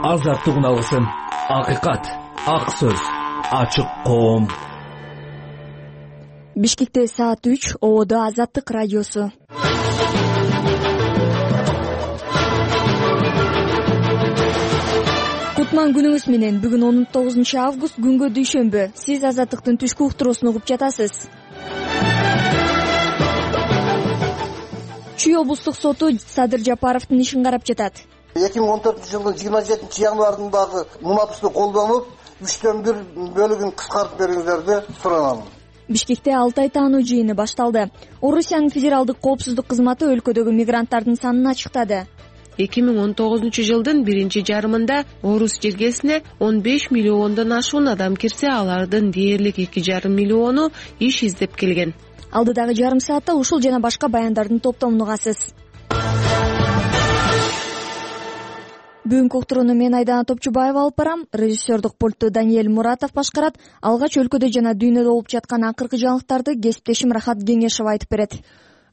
азаттык уналысын. Акыйкат, ак сөз, ачык коом. Бишкекте саат 3, Ободо Азаттык радиосу. Кутман күнүңүз менен. Бүгүн 19 август, күнгө дүйшөмбү. Сиз Азаттыктын түшкү уктуруусун угуп жатасыз. Чүй облустук соту Садыр Жапаровдун ишин карап жатат. 2014-жылдын 27 январындагы мунапысты колдонуп, 3/1 бөлүгүн кыскартып бериңиздер деп суранам. Бишкекте Алтай таануу жыйыны башталды. Орусиянын федералдык коопсуздук кызматы өлкөдөгү мигранттардын санын ачыктады. 2019 жылдын биринчи жарымында Орус жергесине 15 миллиондон ашуун адам кирсе, алардын дээрлик 2,5 миллиону иш издеп келген. Алдыдагы жарым саатта ушул жана башка баяндардын топтомун угасыз. Бүгүнкү уктурууну мен Айдана Топчубаева алып барам. Режиссердук пультту Даниэль Муратов башкарат. Алгач өлкөдө жана дүйнөдө болуп жаткан акыркы жаңылыктарды кесиптешим Рахат Кеңешова айтып берет.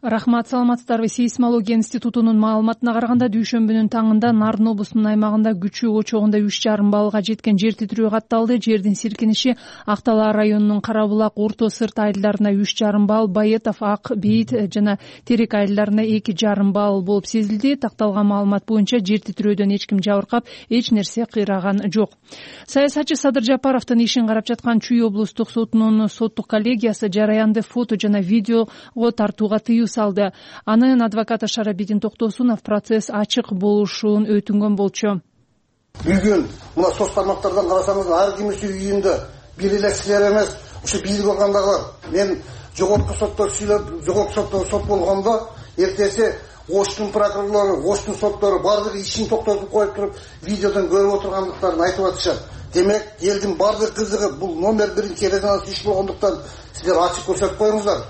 Рахмат, саламатсыздарбы. Сейсмология институтунун маалыматына караганда дүйшөмбүнүн таңында Нарын облусунун аймагында күчүү очогунда 3,5 баллга жеткен жер титирөө катталды. Жердин силкиниши Актала районунун Карабулак, Орто Сырт айылдарына 3,5 балл, Байетов, Ак Бейит жана Терек айылдарына 2,5 балл болуп сезилди. Такталган маалымат боюнча жер титирөөдөн эч ким жабыркап, эч нерсе кыйраган жок. Саясатчы Садыр Жапаровдун ишин карап жаткан Чүй облустук сотунун соттук коллегиясы жараянды фото жана видеого тартууга тыюу салды. Анын адвокаты Шарабидин Токтосунов процесс ачык болушун өтүнгөн болчу. Бүгүн мына соц тармактардан карасаңыз, ар кимиси үйүндө бир эле кишилер эмес, ушу бийлик органдагылар. Мен жогорку соттор сүйлөп, жогорку сотто сот болгондо эртеси Оштун прокурорлору, Оштун соттору бардыгы ишин токтотуп коюп туруп, видеодон көрүп отургандыктарын айтып атышат. Демек, элдин бардык кызыгы бул номер 1 резонанс иш болгондуктан сиздер ачык көрсөтүп коюңуздар.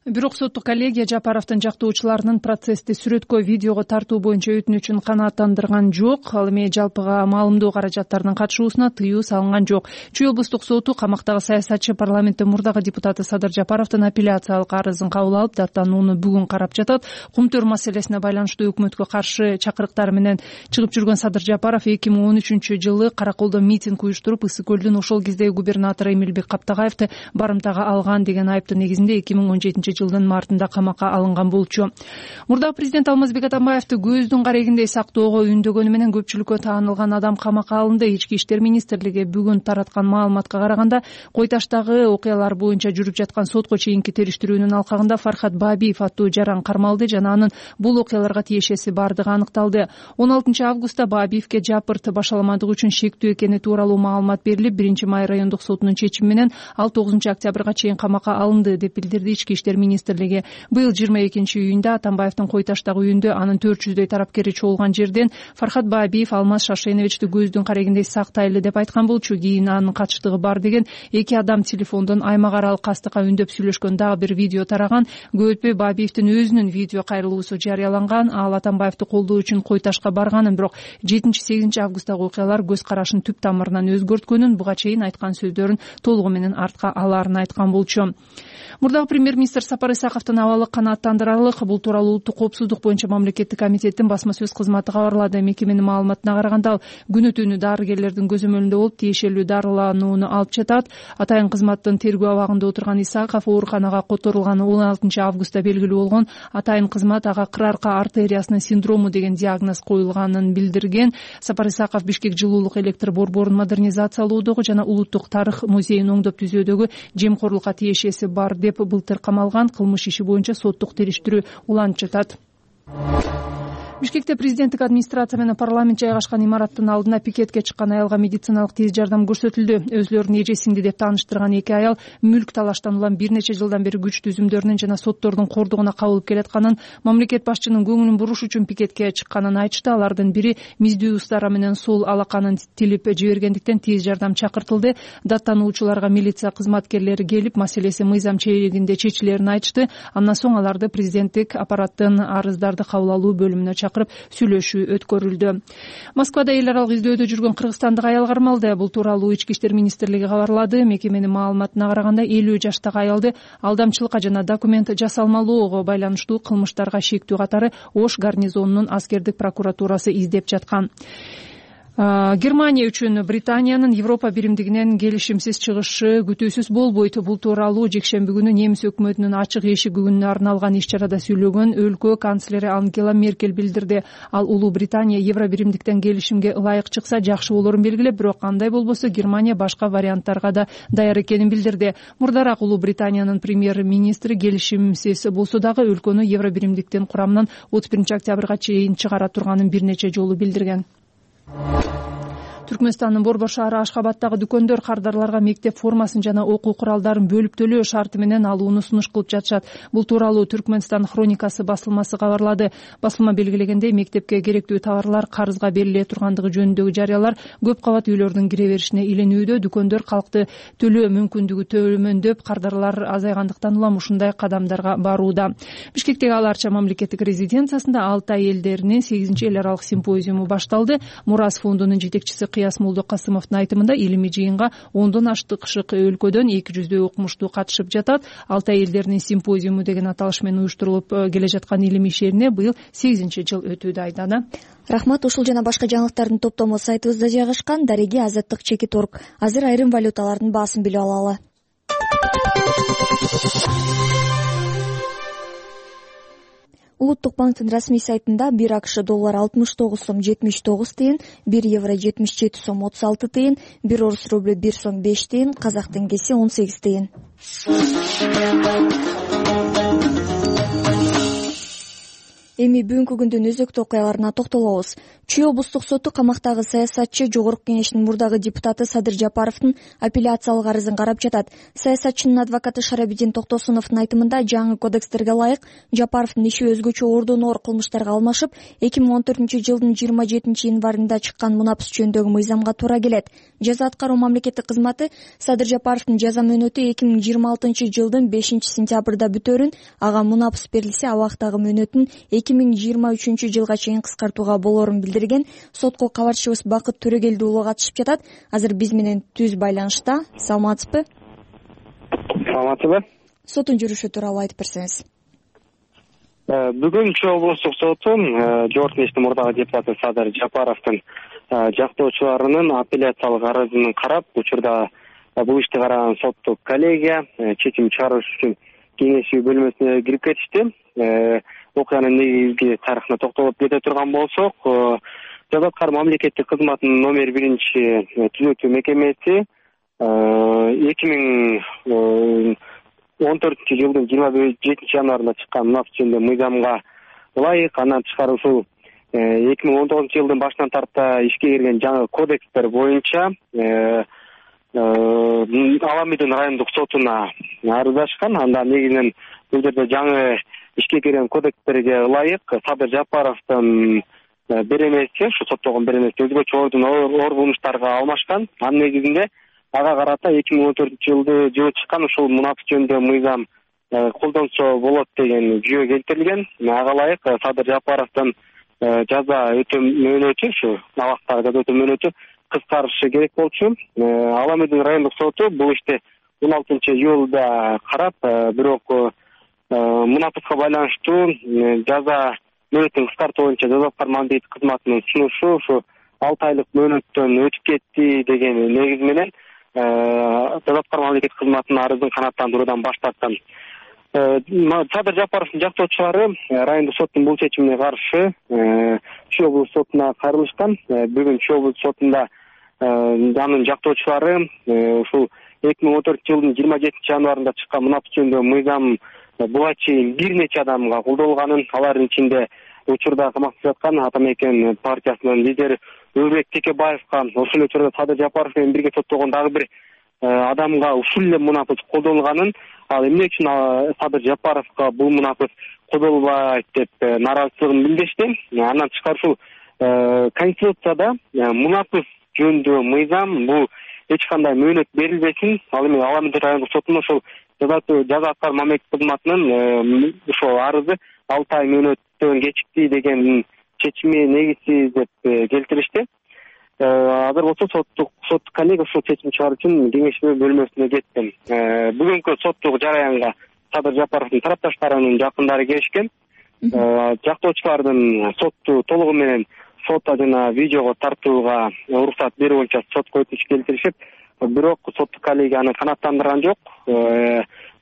Бирок соттук коллегия Жапаровдун жактоочуларынын процессти сүрөткө, видеого тартуу боюнча өтүнүчүн канааттандырган жок. Ал эми жалпыга маалымдоо каражаттарынын катышуусуна тыюу салынган жок. Чүй облустук соту камактагы саясатчы парламенттин мурдагы депутаты Садыр Жапаровдун апелляциялык арызын кабыл алып, даттанууну бүгүн карап жатат. Кумтөр маселесине байланыштуу өкмөткө каршы чакырыктар менен чыгып жүргөн Садыр Жапаров 2013-жылы Караколдо митинг уюштуруп, Ысык көлдүн ошол кездеги губернатору Эмилбек Каптагаевди барымтага алган деген айыптын негизинде 2017 жылдын мартында камакка алынган болчу. Мурдагы президент Алмазбек Атамбаевди көздүн карегиндей сактоого үндөгөнү менен көпчүлүккө таанылган адам камакка алынды. Ички иштер министрлиги бүгүн тараткан маалыматка караганда, Кой Таштагы окуялар боюнча жүрүп жаткан сотко чейинки териштирүүнүн алкагында Фархат Бабиев аттуу жаран кармалды жана анын бул окуяларга тиешеси бардыгы аныкталды. 16 августта Бабиевке жапырт башаламандык үчүн шектүү экени тууралуу маалымат берилип, 1-Май райондук сотунун чечими менен ал 9 октябрга чейин камакка алынды деп билдирди ички иштер министрлиги. Быйыл 22-июнда Атамбаевдин Кой Таштагы үйүндө анын 400дөй тарапкери чогулган жерден Фархат Бабиев Алмаз Шашеновичти көздүн карегиндей сактайлы деп айткан болчу. Кийин анын катыштыгы бар деген эки адам телефондон аймак аралык кастыкка үндөп сүйлөшкөн дагы бир видео тараган. Көп өтпөй Бабиевдин өзүнүн видео кайрылуусу жарыяланган. Ал Атамбаевди колдоо үчүн Кой Ташка барганын, бирок 7-8 августтагы окуялар көз карашын түп тамырынан өзгөрткөнүн, буга чейин айткан сөздөрүн толугу менен артка алаарын айткан болчу. Мурдагы премьер-министр Сапар Исаковдун абалы канааттандырарлык. Бул тууралуу улуттук коопсуздук боюнча мамлекеттик комитеттин басма сөз кызматы кабарлады. Мекеменин маалыматына караганда, ал күнөтүүнү дарыгерлердин көзөмөлүндө болуп, тиешелүү дарыланууну алып жатат. Атайын кызматтын тергөө абагында отурган Исаков ооруканага которулганы 16 августта белгилүү болгон. Атайын кызмат ага кырарка артериясынын синдрому деген диагноз коюлганын билдирген. Сапар Исаков Бишкек жылуулук электр борборун модернизациялоодогу жана улуттук тарых музейин оңдоп түзүүдөгү жемкорлукка тиешеси бар деп былтыр камалган. Кылмыш иши боюнча соттук териштирүү уланып жатат. Бишкекте президенттик администрация менен парламент жайгашкан имараттын алдына пикетке чыккан аялга медициналык тез жардам көрсөтүлдү. Өзлөрүн эже-сиңди деп тааныштырган эки аял мүлк талаштан улам бир нече жылдан бери күч түзүмдөрүнүн жана соттордун кордугуна кабылып келатканын, мамлекет башчынын көңүлүн буруш үчүн пикетке чыкканын айтышты. Алардын бири миздүү устара менен сол алаканын тилип жибергендиктен тез жардам чакыртылды. Даттануучуларга милиция кызматкерлери келип, маселеси мыйзам чегинде чечилерин айтышты. Андан соң аларды президенттик аппараттын арыздарды кабыл алуу бөлүмүнө чакырып сүйлөшүү өткөрүлдү. Москвада эл аралык издөөдө жүргөн кыргызстандык аял кармалды. Бул тууралуу ички иштер министрлиги кабарлады. Мекеменин маалыматына караганда, 50 жаштагы аялды алдамчылыкка жана документ жасалмалоого байланыштуу кылмыштарга шектүү катары Ош гарнизонунун аскердик прокуратурасы издеп жаткан. Германия үчүн Британиянын Европа биримдигинен келишимсиз чыгышы күтүүсүз болбойт. Бул тууралуу жекшемби күнү немис өкмөтүнүн ачык эшик күнүнө арналган иш-чарада сүйлөгөн өлкө канцлери Ангела Меркель билдирди. Ал Улуу Британия Евро биримдиктен келишимге ылайык чыкса жакшы болорун белгилеп, бирок кандай болбосо Германия башка варианттарга да даяр экенин билдирди. Мурдараак Улуу Британиянын премьер-министри келишимсиз болсо дагы өлкөнү Евро биримдиктин курамынан 31 октябрга чейин чыгара турганын бир нече жолу билдирген. Түркмөнстандын Борбор шаары Ашхабадтагы дүкөндөр кардарларга мектеп формасын жана окуу куралдарын бөлүп төлөө шарты менен алууну сунуш кылып жатышат. Бул тууралуу Түркмөнстан хроникасы басылмасы кабарлады. Басылма белгилегендей, мектепке керектүү товарлар карызга бериле тургандыгы жөнүндөгү жарыялар көп кабат үйлөрдүн кире беришине иленүүдө. Дүкөндөр калкты төлөө мүмкүндүгү төмөндөп, кардарлар азайгандыктан улам ушундай кадамдарга барууда. Бишкектеги Ал Арча мамлекеттик резиденциясында Алтай элдеринин 8-эл аралык симпозиуму башталды. Мурас фондунун жетекчиси Кыяс Молдокасымовдун айтымында, илимий жыйынга 10дон аштык өлкөдөн 200 окумуштуу катышып жатат. Алтай элдеринин симпозиуму деген аталыш менен уюштурулуп келе жаткан илимий ишерине быйыл 8-жыл өтүүдө. Айдана. Рахмат. Ушул жана башка жаңылыктардын топтому сайтыбызда жайгашкан. Дареги Азаттык Чекит.орг. Азыр айрым валюталардын баасын билип алалы. Улуттук банктын расмий сайтында 1 АКШ доллары 69 сом 79 тыйын, 1 евро 77 сом 36 тыйын, 1 орус рублю 1 сом 5 тыйын, казак теңгеси 18 тыйын. Эми бүгүнкү күндүн өзөктүү окуяларына токтолобуз. Чүй облустук соту камактагы саясатчы Жогорку Кеңештин мурдагы депутаты Садыр Жапаровдун апелляциялык арызын карап жатат. Саясатчынын адвокаты Шарабидин Токтосуновдун айтымында, жаңы кодекстерге ылайык Жапаровдун иши өзгөчө ордон оор кылмыштарга алмашып, 2014-жылдын 27-январында чыккан мунапыс жөнүндөгү мыйзамга туура келет. Жаза аткаруу мамлекеттик кызматы Садыр Жапаровдун жаза мөөнөтү 2026-жылдын 5-сентябрда бүтөөрүн, ага мунапыс берилсе абактагы мөөнөтүн 2023-жылга чейин кыскартууга болоорун билдирген. Сотко кабарчыбыз Бакыт Төрөгелди уулу катышып жатат. Азыр биз менен түз байланышта. Саламатсызбы? Саламатсызбы? Соттун жүрүшү тууралуу айтып берсеңиз. Бүгүн Чүй облустук соту Жогорку Кеңештин мурдагы депутаты Садыр Жапаровдун жактоочуларынын апелляциялык арызын карап, учурда бул ишти караган соттук коллегия чечим чыгарыш үчүн кеңешүү бөлмөсүнө кирип кетишти. Окуянын негизги тарыхына токтолуп кете турган болсок, жаза аткаруу мамлекеттик кызматынын номер 1-түзөтүү мекемеси 2014-жылдын 27-январында чыккан мунапыс жөнүндө мыйзамга ылайык, андан тышкары ушул 2019-жылдын башынан тарта ишке кирген жаңы кодекстер боюнча Аламидин райондук сотуна арыздашкан. Анда негизинен бул жерде жаңы ишке кирген кодекстерге ылайык Садыр Жапаровдун беренеси, ушу соттолгон беренеси өзгөчө ордон оор кылмыштарга алмашкан. Анын негизинде ага карата 2014-жылы чыккан ушул мунапыс жөнүндө мыйзам колдонсо болот деген жүйө келтирилген. Ага ылайык Садыр Жапаровдун жаза өтөө мөөнөтү, ушу абактагы жаза өтөө мөөнөтү кыскарышы керек болчу. Аламидин райондук соту бул ишти 16-июлда карап, бирок мунапыска байланыштуу жаза мөөнөтүн кыскартуу боюнча жаза аткаруу мамлекеттик кызматынын сунушу ушу 6 айлык мөөнөттөн өтүп кетти деген негиз менен жаза аткаруу мамлекеттик кызматынын арызын канааттандыруудан баш тарткан. Садыр Жапаровдун жактоочулары райондук соттун бул чечимине каршы Чүй облустук сотуна кайрылышкан. Бүгүн Чүй облустук сотунда анын жактоочулары ушул 2014-жылдын 27-январында чыккан мунапыс жөнүндө мыйзам буга чейин бир нече адамга колдонулганын, алардын ичинде учурда камакта жаткан Атамекен партиясынын лидери Өрбек Текебаевка, ошол эле учурда Садыр Жапаров менен бирге соттолгон дагы бир адамга ушул эле мунапыс колдонулганын, ал эмне үчүн Садыр Жапаровго бул мунапыс колдонулбайт деп нааразычылыгын билдиришти. Андан тышкары ушул Конституцияда мунапыс жөнүндө мыйзам бул эч кандай мөөнөт берилбесин. Ал эми Аламидин райондук сотунун ошол жаза аткаруу мамлекеттик кызматынын ошол арызы 6 ай мөөнөттөн кечикти деген чечими негизсиз деп келтиришти. Азыр болсо соттук коллегия ушул чечим чыгаруу үчүн кеңешүү бөлмөсүнө кетти. Бүгүнкү соттук жараянга Садыр Жапаровдун тарапташтарынын жакындары келишкен. Жактоочулардын сотту толугу менен сотто жана видеого тартууга уруксат берүү боюнча сотко өтүнүч келтиришип, бирок соттук коллегия аны канааттандырган жок.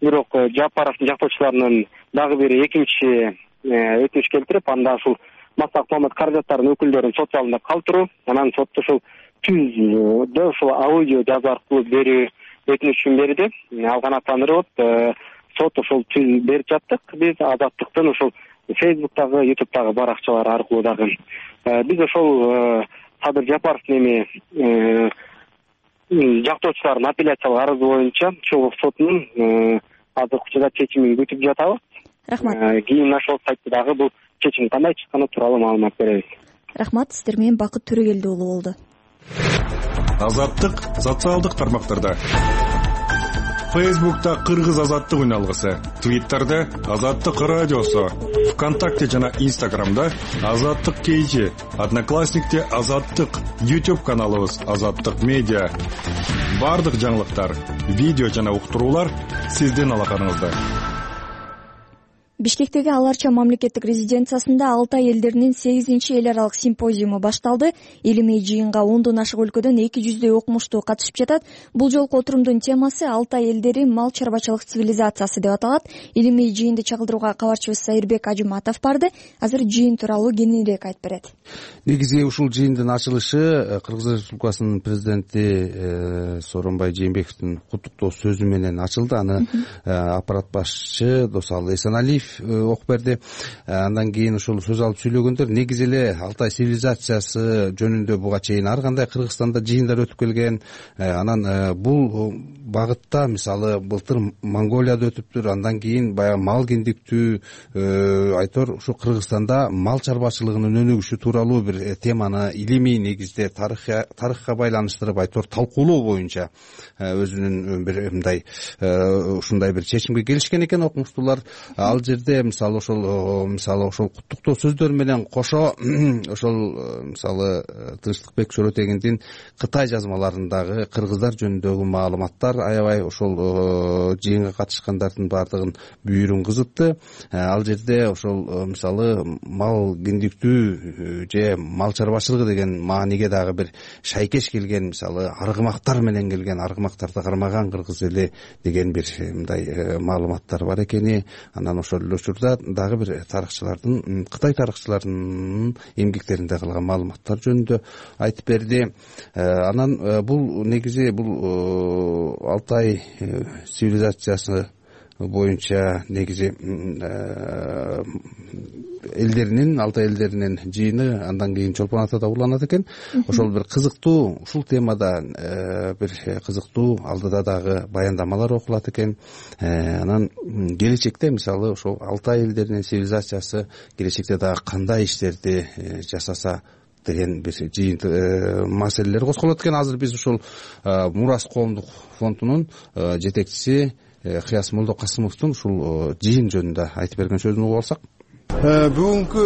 Бирок Жапаровдун жактоочуларынын дагы бир экинчи өтүнүч келтирип, анда ушул массалык маалымат каражаттарынын өкүлдөрүн сот залында калтыруу, анан сотто ушул түздө ушул аудио жазуу аркылуу берүү өтүнүчүн берди. Ал канааттандырып, сот ушул түз берип жаттык. Биз Азаттыктын ушул Facebook'тагы, YouTube'дагы баракчалары аркылуу дагы биз ошол Садыр Жапаровдун жактоочулардын апелляциялык арызы боюнча чогуу сотунун азыркы учурда чечимин күтүп жатабыз. Рахмат. Кийин ошол сайтта дагы бул чечим кандай чыкканы тууралуу маалымат беребиз. Рахмат. Сиздер менен Бакыт Төрөгелди уулу болду. Азаттык социалдык тармактарда. Facebook'ta Кыргыз азаттык үналгысы, Twitter'да Азаттык радиосу, ВКонтакте жана Instagram'да Азаттык KG, Одноклассникте Азаттык, YouTube каналыбыз Азаттык медиа. Бардык жаңылыктар, видео жана уктуруулар сиздин алаканыңызда. Бишкектеги Аларча мамлекеттик резиденциясында Алтай элдеринин 8-чи эл аралык симпозиуму башталды. Илимий жыйынга 10дон ашык өлкөдөн 200 окумуштуу катышып жатат. Бул жолку отурумдун темасы Алтай элдери мал чарбачылык цивилизациясы деп аталат. Илимий жыйынды чагылдырууга кабарчыбыз Сайырбек Ажыматов барды. Азыр жыйын тууралуу кеңирээк айтып берет. Негизи ушул жыйындын ачылышы Кыргыз Республикасынын президенти Сооронбай Жээнбековдун куттуктоо сөзү менен ачылды. Аны аппарат башчысы Досалы Эсеналиев окуп берди. Андан кийин ушул сөз алып сүйлөгөндөр негизи эле Алтай цивилизациясы жөнүндө буга чейин ар кандай Кыргызстанда жыйындар өтүп келген. Анан бул багытта мисалы былтыр Монголияда өтүптүр. Андан кийин баягы мал киндиктүү айтор ушу Кыргызстанда мал чарбачылыгынын өнүгүшү тууралуу бир теманы илимий негизде тарыхка байланыштырып айтор талкуулоо боюнча өзүнүн бир мындай ушундай бир чечимге келишкен экен окумуштуулар. Ал жерде мисалы ошол куттуктоо сөздөр менен кошо ошол мисалы Тынчтыкбек Чоротегиндин Кытай жазмаларындагы кыргыздар жөнүндөгү маалыматтар аябай ошол жыйынга катышкандардын баардыгын бүйүрүн кызытты. Ал жерде ошол мисалы мал киндиктүү же мал чарбачылыгы деген мааниге дагы бир шайкеш келген, мисалы аргымактар менен келген, аргымактарды кармаган кыргыз эли деген бир мындай маалыматтар бар экени, анан ошол эле учурда дагы бир тарыхчылардын, Кытай тарыхчыларынын эмгектеринде калган маалыматтар жөнүндө айтып берди. Анан бул негизи бул Алтай цивилизациясы боюнча негизи элдеринин, Алтай элдеринин жыйыны андан кийин Чолпон Атада уланат экен. Ошол бир кызыктуу, ушул темада бир кызыктуу алдыда дагы баяндамалар окулат экен. Анан келечекте мисалы ошол Алтай элдеринин цивилизациясы келечекте дагы кандай иштерди жасаса деген бир жыйын маселелер козголот экен. Азыр биз ушул Мурас коомдук фондунун жетекчиси Кыяс Молдокасымовдун ушул жыйын жөнүндө айтып берген сөзүн угуп алсак. Бүгүнкү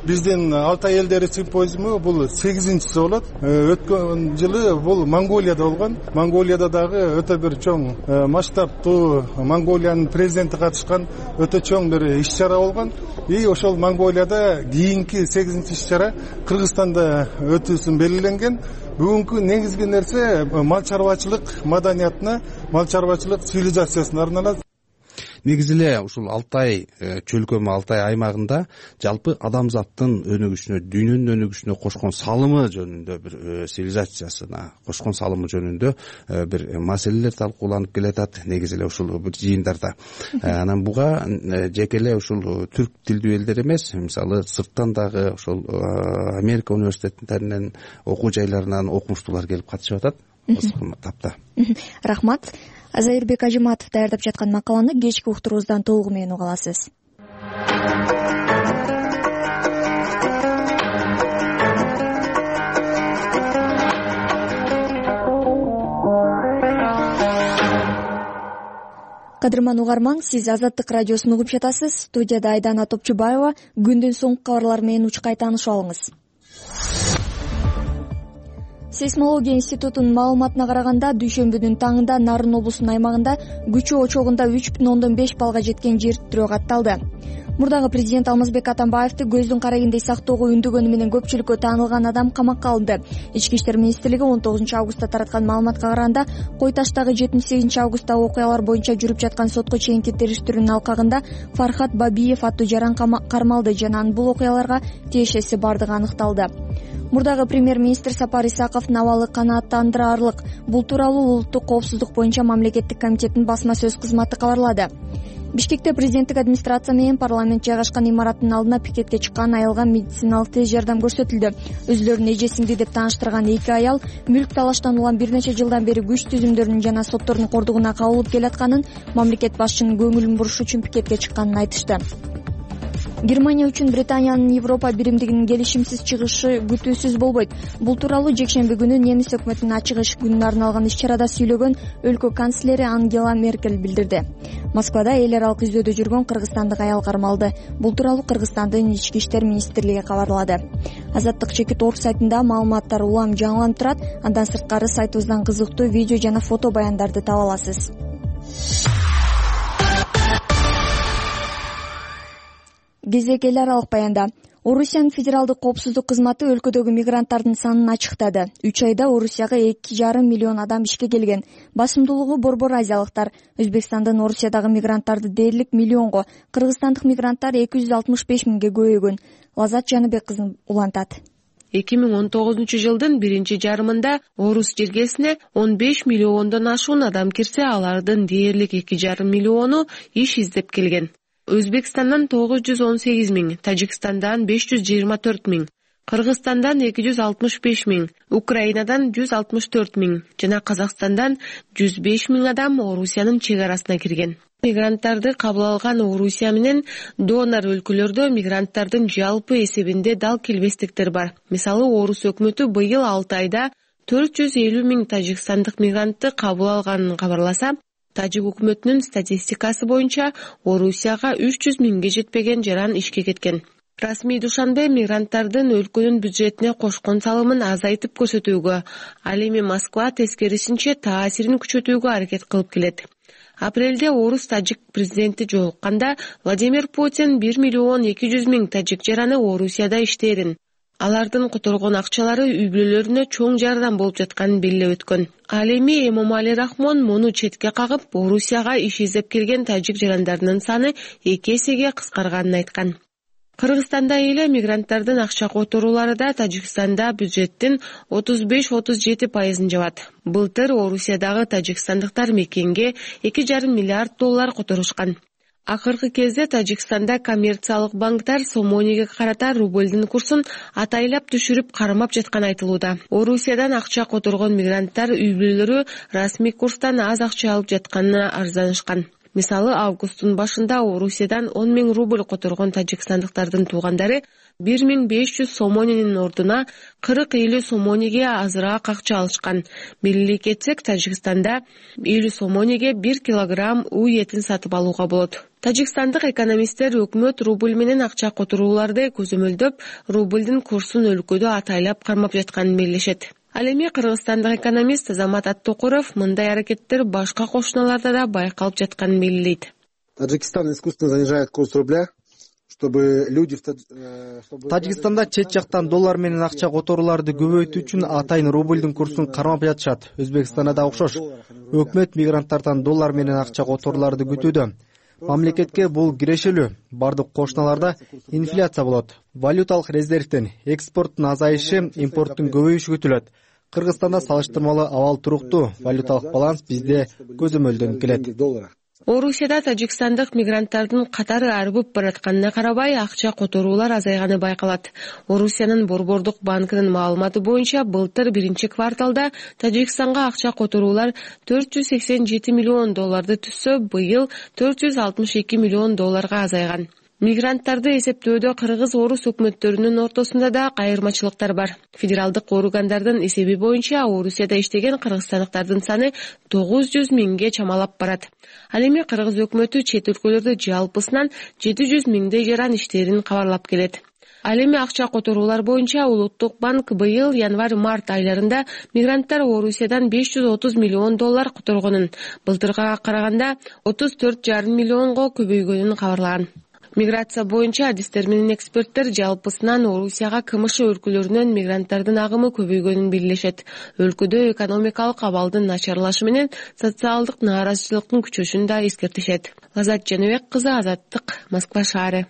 биздин Алтай элдери симпозиуму бул 8-чиси болот. Өткөн жылы бул Монголияда болгон. Монголияда дагы өтө бир чоң масштабтуу Монголиянын президенти катышкан өтө чоң бир иш-чара болгон. И ошол Монголияда кийинки 8-чи иш-чара Кыргызстанда өтүүсүн белгиленген. Бүгүнкү негизги нерсе мал чарбачылык маданиятына, мал чарбачылык цивилизациясына арналат. Негизи эле ушул Алтай чөлкөмү, Алтай аймагында жалпы адамзаттын өнүгүшүнө, дүйнөнүн өнүгүшүнө кошкон салымы жөнүндө бир цивилизациясына кошкон салымы жөнүндө бир маселелер талкууланып келатат негизи эле ушул бир жыйындарда. Анан буга жеке эле ушул түрк тилдүү элдер эмес, мисалы сырттан дагы ошол Америка университеттеринен, окуу жайларынан окумуштуулар келип катышып атат. Тапта. Рахмат. Сайырбек Ажыматов даярдап жаткан макаланы кечки уктуруубуздан толугу менен уга аласыз. Кадырман угарман, сиз Азаттык радиосун угуп жатасыз. Студияда Айдана Топчубаева. Күндүн соңку кабарлары менен учкай таанышып алыңыз. Сейсмология институтунун маалыматына караганда, дүйшөмбүнүн таңында Нарын облусунун аймагында күчү очогунда 3,5 баллга жеткен жер тирөө катталды. Мурдагы президент Алмазбек Атамбаевди көздүн карайындай сактоого үндөгөнү менен көпчүлүккө таанылган адам камакка алынды. Ички иштер министрлиги 19 августта тараткан маалыматка караганда, Кой Таштагы 78 августтагы окуялар боюнча жүрүп жаткан сотко чейинки териштирүүнүн алкагында Фархат Бабиев аттуу жаран кармалды жана анын бул окуяларга тиешеси бардыгы аныкталды. Мурдагы премьер-министр Сапар Исаковдун абалы канааттандырарлык. Бул тууралуу Улуттук коопсуздук боюнча мамлекеттик комитеттин басма сөз кызматы кабарлады. Бишкекте президенттик администрация менен парламент жайгашкан имараттын алдына пикетке чыккан аялга медициналык тез жардам көрсөтүлдү. Өзүлөрүн эжесиңди деп тааныштырган эки аял мүлк талаштан улам бир нече жылдан бери күч түзүмдөрүнүн жана соттордун кордугуна кабылып келатканын, мамлекет башчынын көңүлүн буруш үчүн пикетке чыкканын айтышты. Германия үчүн Британиянын Европа биримдигинин келишимсиз чыгышы күтүүсүз болбойт. Бул тууралуу жекшемби күнү немис өкмөтүнүн ачык эшик күнүнө арналган иш-чарада сүйлөгөн өлкө канцлери Ангела Меркель билдирди. Москвада эл аралык издөөдө жүргөн кыргызстандык аял кармалды. Бул тууралуу Кыргызстандын ички иштер министрлиги кабарлады. Азаттык чекит орг сайтында маалыматтар улам жаңыланып турат. Андан сырткары сайтыбыздан кызыктуу видео жана фото баяндарды таба аласыз. Кезек эл аралык баянда. Орусиянын федералдык коопсуздук кызматы өлкөдөгү мигранттардын санын ачыктады. 3 айда Орусияга 2,5 миллион адам ишке келген. Басымдуулугу борбор азиялыктар. Өзбекстандын Орусиядагы мигранттарды дээрлик миллионго, кыргызстандык мигранттар 265 миңге көбөйгөн. Лазат Жаныбек кызы улантат. 2019 жылдын биринчи жарымында Орус жергесине 15 миллиондон ашуун адам кирсе, алардын дээрлик 2,5 миллиону иш издеп келген. Өзбекстандан 918 миң, Тажикстандан 524 миң, Кыргызстандан 265 миң, Украинадан 164 миң жана Казакстандан 105 миң адам Орусиянын чек арасына кирген. Мигранттарды кабыл алган Орусия менен донор өлкөлөрдө мигранттардын жалпы эсебинде дал келбестиктер бар. Мисалы, Орус өкмөтү быйыл 6 айда 450 миң тажикстандык мигрантты кабыл алганын кабарласа, Тажик өкмөтүнүн статистикасы боюнча Орусияга 300 миңге жетпеген жаран ишке кеткен. Расмий Душанбе мигранттардын өлкөнүн бюджетине кошкон салымын азайтып көрсөтүүгө, ал эми Москва тескерисинче таасирин күчөтүүгө аракет кылып келет. Апрелде Орус-Тажик президенти жолукканда Владимир Путин 1 миллион 200 миң тажик жараны Орусияда иштээрин, алардын которгон акчалары үй-бүлөлөрүнө чоң жардам болуп жатканын белгилеп өткөн. Ал эми Эмомали Рахмон муну четке кагып, Орусияга иш издеп келген тажик жарандарынын саны 2 эсеге кыскарганын айткан. Кыргызстанда эле мигранттардын акча которуулары да Тажикстанда бюджеттин 35-37% жабат. Былтыр Орусиядагы тажикстандыктар мекенге 2,5 миллиард доллар которушкан. Акыркы кезде Тажикстанда коммерциялык банктар сомониге карата рублдун курсун атайлап түшүрүп кармап жатканы айтылууда. Орусиядан акча которгон мигранттар үй-бүлөлөрү расмий курстан аз акча алып жатканына арызданышкан. Мисалы, августтун башында Орусиядан 10 миң рубль которгон тажикстандыктардын туугандары 1500 сомонинин ордуна 40-50 сомониге азыраак акча алышкан. Белгилей кетсек, Тажикстанда 50 сомониге 1 килограмм уй этин сатып алууга болот. Тажикстандык экономисттер өкмөт рубль менен акча которууларды көзөмөлдөп, рублдун курсун өлкөдө атайлап кармап жатканын белгилешет. Ал эми кыргызстандык экономист Азамат Аттокуров мындай аракеттер башка кошуналарда да байкалып жатканын белгилейт. Таджикистан искусственно занижает курс рубля, чтобы люди Тажикстанда чет жактан доллар менен акча которууларды көбөйтүү үчүн атайын рублдун курсун кармап жатышат. Өзбекстанда да окшош. Өкмөт мигранттардан доллар менен акча которууларды күтүүдө. Мамлекетке бул кирешелүү. Бардык кошуналарда инфляция болот. Валюталык резервден экспорттун азайышы, импорттун көбөйүшү күтүлөт. Кыргызстанда салыштырмалуу абал туруктуу. Валюталык баланс бизде көзөмөлдөнүп келет. Орусияда тажикстандык мигранттардын катары арбып баратканына карабай, акча которуулар азайганы байкалат. Орусиянын борбордук банкынын маалыматы боюнча, былтыр биринчи кварталда Тажикстанга акча которуулар 487 миллион долларды түзсө, быйыл 462 миллион долларга азайган. Мигранттарды эсептөөдө кыргыз-орус өкмөттөрүнүн ортосунда да кайырмачылыктар бар. Федералдык органдардын эсеби боюнча, Орусияда иштеген кыргызстандыктардын саны 900 миңге чамалап барат. Ал эми кыргыз өкмөтү чет өлкөлөрдө жалпысынан 700 миңдей жаран иштерин кабарлап келет. Ал эми акча которуулар боюнча Улуттук банк быйыл январь-март айларында мигранттар Орусиядан 530 миллион доллар которгонун, былтыркыга караганда 34,5 миллионго көбөйгөнүн кабарлаган. Миграция боюнча адистер менен эксперттер жалпысынан Орусияга КМШ өлкөлөрүнөн мигранттардын агымы көбөйгөнүн белгилешет. Өлкөдө экономикалык абалдын начарлашы менен социалдык нааразычылыктын күчөшүн да эскертишет. Лазат Жаныбек кызы, Азаттык, Москва шаары.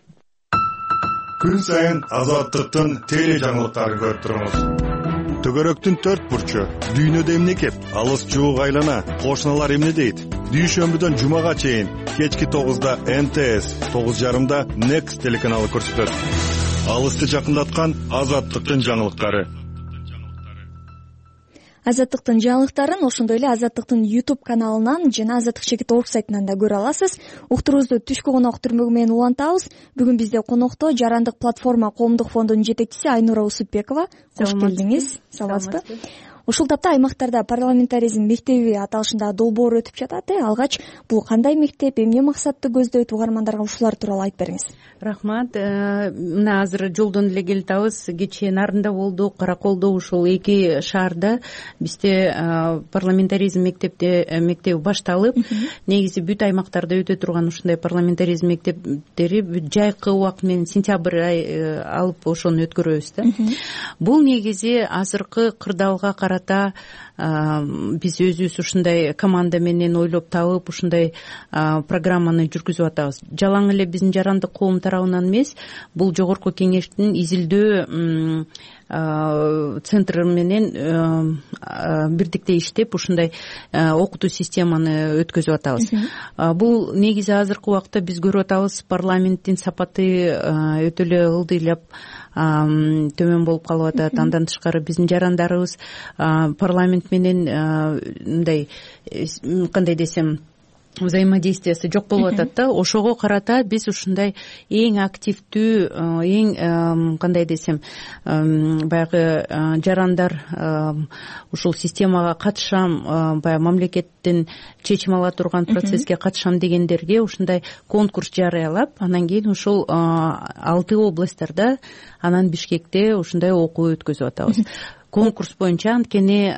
Күн сайын Азаттыктын теле жаңылыктарын көрүп туруңуз. Төгөрөктүн 4 бурчу, дүйнөдө эмне кеп, алыс жуук айлана, кошуналар эмне дейт? Дүйшөмбүдөн жумага чейин кечки 9да НТС, 9:30да Next телеканалы көрсөтөт. Алысты жакындаткан Азаттыктын жаңылыктары. Азаттыктын жаңылыктарын ошондой эле Азаттыктын YouTube каналынан жана Азаттык чекит орг сайтынан да көрө аласыз. Уктуруубузду түшкү конок түрмөгү менен улантабыз. Бүгүн бизде конокто Жарандык платформа коомдук фондунун жетекчиси Айнура Усупбекова. Кош келдиңиз. Саламатсызбы? Ушул тапта аймактарда парламентаризм мектеби аталышында долбоор өтүп жатат. Алгач бул кандай мектеп, эмне максатты көздөйт, угармандарга ушулар тууралуу айтып бериңиз. Рахмат. Мына азыр жолдон эле келатабыз. Кечээ Нарында болдук, Караколдо, ушул эки шаарда бизде парламентаризм мектеби башталып, негизи бүт аймактарда өтө турган ушундай парламентаризм мектептери жайкы убакыт менен сентябрь ай алып ошону өткөрөбүз да. Бул негизи азыркы кырдаалга карата биз өзүбүз ушундай команда менен ойлоп табып ушундай программаны жүргүзүп атабыз. Жалаң эле биздин Жарандык коом тарабынан эмес, бул жогорку кеңештин изилдөө центр менен бирдикте иштеп ушундай окутуу системаны өткөзүп атабыз. Бул негизи азыркы убакта биз көрүп атабыз, парламенттин сапаты өтө эле ылдыйлап төмөн болуп калып атат. Андан тышкары биздин жарандарыбыз парламент менен мындай кандай десем взаимодействиясы жок болуп атат да. Ошого карата биз ушундай эң активдүү, эң кандай десем баягы жарандар ушул системага катышам, баягы мамлекеттин чечим ала турган процесске катышам дегендерге ушундай конкурс жарыялап, анан кийин ушул 6 областтарда, анан Бишкекте ушундай окуу өткөзүп атабыз. Конкурс боюнча анткени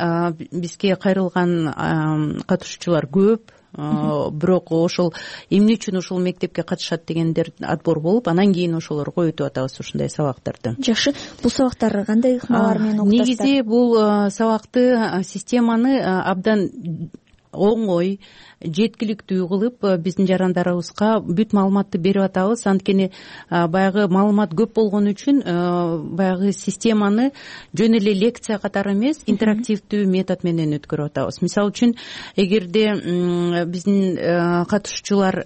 бизге кайрылган катышуучулар көп. Бирок ошол эмне үчүн ушул мектепке катышат дегендер отбор болуп, анан кийин ошолорго өтүп атабыз ушундай сабактарды. Жакшы. Бул сабактар кандай ыкмалар менен окутасыздар? Негизи бул сабакты, системаны абдан оңой, жеткиликтүү кылып биздин жарандарыбызга бүт маалыматты берип атабыз. Анткени баягы маалымат көп болгон үчүн баягы системаны жөн эле лекция катары эмес, интерактивдүү метод менен өткөрүп атабыз. Мисалы үчүн, эгерде биздин катышуучулар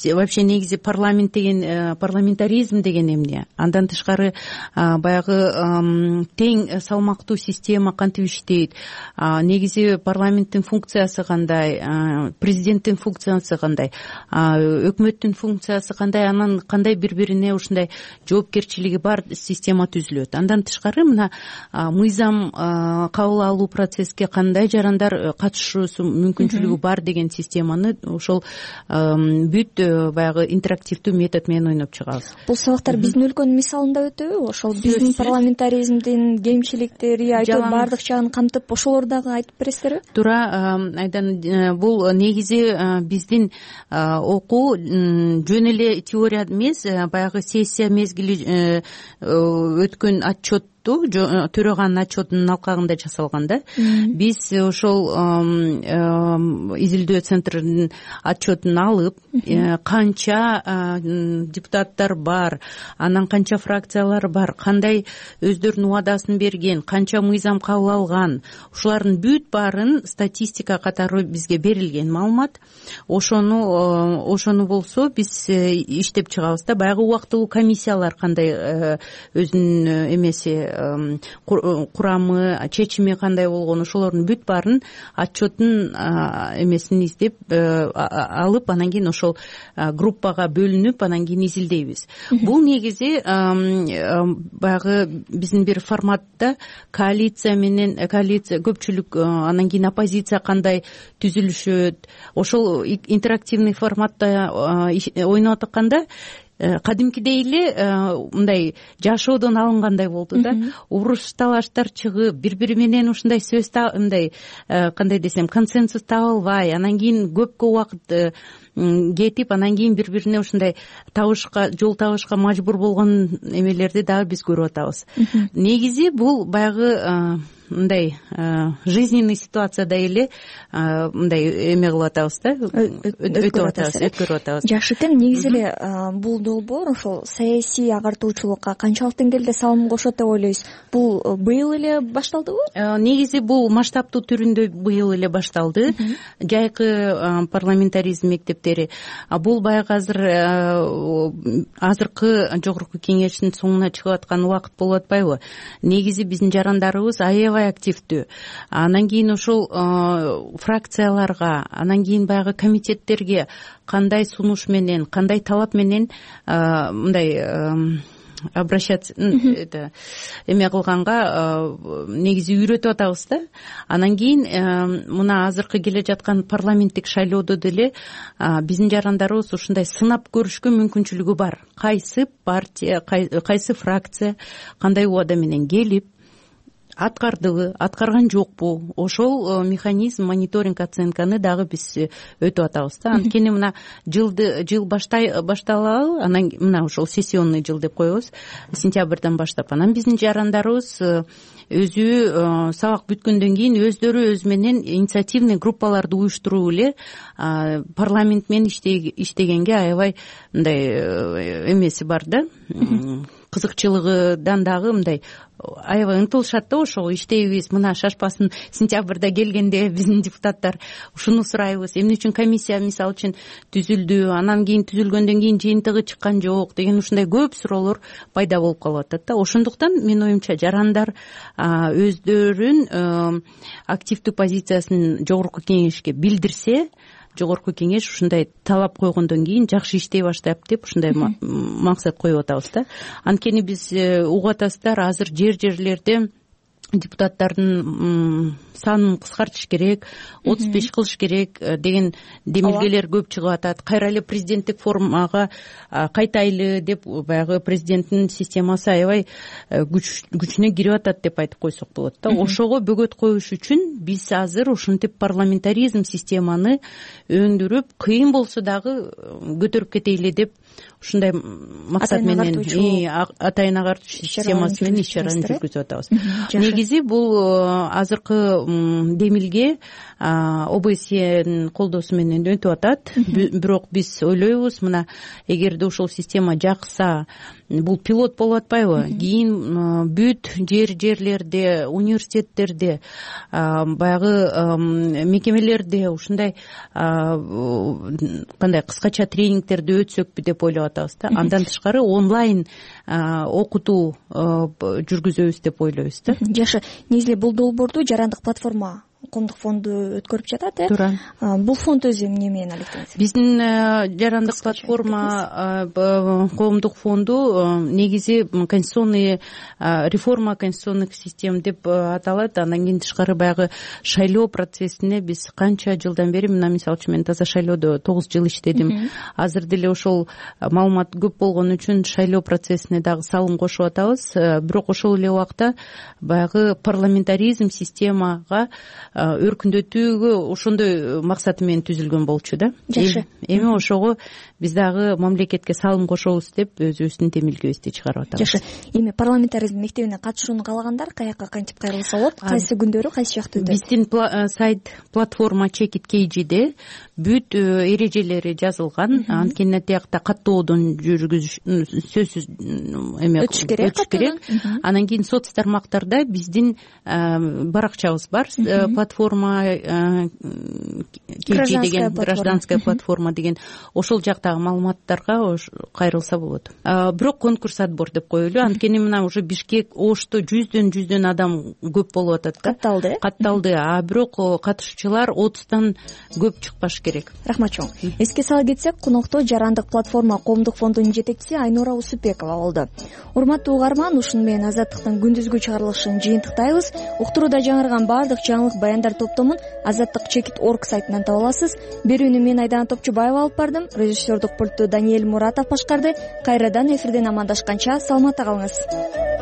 вообще негизи парламент деген, парламентаризм деген эмне, андан тышкары баягы тең салмактуу система кантип иштейт, негизи парламенттин функциясы кандай, президенттин функциясы кандай, өкмөттүн функциясы кандай, анан кандай бири-бирине ушундай жоопкерчилиги бар система түзүлөт. Андан тышкары мына мыйзам кабыл алуу процесске кандай жарандар катышуусу мүмкүнчүлүгү бар деген системаны ошол бүт баягы интерактивдүү метод менен ойноп чыгабыз. Бул сабактар биздин өлкөнүн мисалында өтөбү? Ошол биздин парламентаризмдин кемчиликтери, айтып баардык жагын камтып, ошолорду дагы айтып бересиздерби? Туура, Айдан, бул негизи биздин окуу жөн эле теория эмес, баягы сессия мезгили өткөн отчет төрөганын отчетунун алкагында жасалган да. Биз ошол изилдөө центринин отчетун алып, канча депутаттар бар, анан канча фракциялар бар, кандай өздөрүнүн убадасын берген, канча мыйзам кабыл алган, ушулардын бүт баарын статистика катары бизге берилген маалымат. Ошону болсо биз иштеп чыгабыз да. Баягы убактылуу комиссиялар кандай өзүнүн эмеси, курамы, чечими кандай болгон, ошолордун бүт баарын отчеттун эмесин издеп алып, анан кийин ошол группага бөлүнүп, анан кийин изилдейбиз. Бул негизи баягы биздин бир форматта коалиция менен көпчүлүк, анан кийин оппозиция кандай түзүлүшөт, ошол интерактивный форматта ойноп атканда кадимкидей эле мындай жашоодон алынгандай болду да. Уруш талаштар чыгып, бири менен ушундай сөз мындай кандай десем консенсус таба албай, анан кийин көпкө убакыт кетип, анан кийин бири бирине ушундай жол табышка мажбур болгон эмелерди дагы биз көрүп атабыз. Негизи бул баягы мындай жизненный ситуацияда эле мындай эме кылып атабыз да, өткөрүп атабыз. Жакшы экен. Негизи эле бул долбоор ошол саясий агартуучулукка канчалык деңгээлде салым кошот деп ойлойсуз? Бул быйыл эле башталдыбы? Негизи бул масштабтуу түрүндө быйыл эле башталды. Жайкы парламентаризм мектептери. Бул баягы азыркы жогорку кеңештин соңуна чыгып аткан убакыт болуп атпайбы? Негизи биздин жарандарыбыз аябай активдүү. Анан кийин ошол фракцияларга, анан кийин баягы комитеттерге кандай сунуш менен, кандай талап менен мындай обращаться эме кылганга негизи үйрөтүп атабыз да. Анан кийин мына азыркы келе жаткан парламенттик шайлоодо деле биздин жарандарыбыз ушундай сынап көрүшкө мүмкүнчүлүгү бар. Кайсы партия, кайсы фракция кандай убада менен келип аткардыбы, аткарган жокпу, ошол механизм мониторинг оценканы дагы биз өтүп атабыз да. Анткени мына жыл башталалы, анан мына ошол сессионный жыл деп коебуз, сентябрдан баштап, анан биздин жарандарыбыз өзү сабак бүткөндөн кийин өздөрү өзү менен инициативный группаларды уюштуруп эле парламент менен иштегенге аябай мындай эмеси бар да, кызыкчылыгыдан дагы мындай аябай ынтылышат да. Ошого иштейбиз, мына шашпасын сентябрда келгенде биздин депутаттар ушуну сурайбыз, эмне үчүн комиссия мисалы үчүн түзүлдү, анан кийин түзүлгөндөн кийин жыйынтыгы чыккан жок деген ушундай көп суроолор пайда болуп калып атат да. Ошондуктан менин оюмча жарандар өздөрүн активдүү позициясын жогорку кеңешке билдирсе, жогорку кеңеш ушундай талап койгондон кийин жакшы иштей баштайт деп ушундай максат коюп атабыз да. Анткени биз угуп атасыздар, азыр жерлерде депутаттардын санын кыскартыш керек, 35 кылыш керек деген демилгелер көп чыгып атат. Кайра эле президенттик формага кайтайлы деп баягы президенттин системасы аябай күчүнө кирип атат деп айтып койсок болот да. Ошого бөгөт коюш үчүн биз азыр ушинтип парламентаризм системаны өндүрүп, кыйын болсо дагы көтөрүп кетели деп ушундай максат менен атайын агартуучу системасы менен иш чараны жүргүзүп атабыз. Негизи бул азыркы демилге ОБСЕнин колдоосу менен өтүп атат. Бирок биз ойлойбуз, мына эгерде ушул система жакса, бул пилот болуп атпайбы? Кийин бүт жерлерде, университеттерде, баягы мекемелерде ушундай кандай кыскача тренингтерди өтсөкпү деп ойлоп атабыз да. Андан тышкары онлайн окутуу жүргүзөбүз деп ойлойбуз да. Жакшы. Негизи бул долбоорду жарандык платформа коомдук фонду өткөрүп жатат, Туура. Бул фонд өзү эмне менен алектенет? Биздин жарандык платформа коомдук фонду негизи конституционный реформа конституционных систем деп аталат. Андан кийин тышкары баягы шайлоо процессине биз канча жылдан бери, мына мисалы үчүн мен таза шайлоодо 9 жыл иштедим. Азыр деле ошол маалымат көп болгон үчүн шайлоо процессине дагы салым кошуп атабыз. Бирок ошол эле убакта баягы парламентаризм системага өркүндөтүүгө ошондой максаты менен түзүлгөн болчу да. Жакшы. Эми ошого биз дагы мамлекетке салым кошобуз деп өзүбүздүн демилгебизди чыгарып атабыз. Жакшы. Эми парламентаризм мектебине катышууну каалагандар каяка кантип кайрылса болот? Кайсы күндөрү, кайсы жактыда? Биздин сайт платформа Check It KG'де бүт эрежелери жазылган. Анткени тиякта каттоодон сөзсүз эме өтүш керек. Анан кийин соц тармактарда биздин баракчабыз бар. Платформа KG деген, гражданская платформа деген, ошол жактагы маалыматтарга кайрылса болот. Бирок конкурс отбор деп коелу. Анткени мына уже Бишкек, Ошто жүздөн адам көп болуп атат да. Катталды. Бирок катышуучулар 30тан көп чыкпаш керек. Рахмат чоң. Эске сала кетсек, конокто Жарандык платформа коомдук фондунун жетекчиси Айнура Усупбекова болду. Урматтуу угарман, ушуну менен Азаттыктын күндүзгү чыгарылышын жыйынтыктайбыз. Уктурууда жаңырган баардык жаңылык баяндар топтомун azattik.org сайтынан таба аласыз. Берүүнү мен Айдана Топчубаева алып бардым. Режиссердук пультту Даниэль Муратов башкарды. Кайрадан эфирден амандашканча саламатта калыңыз.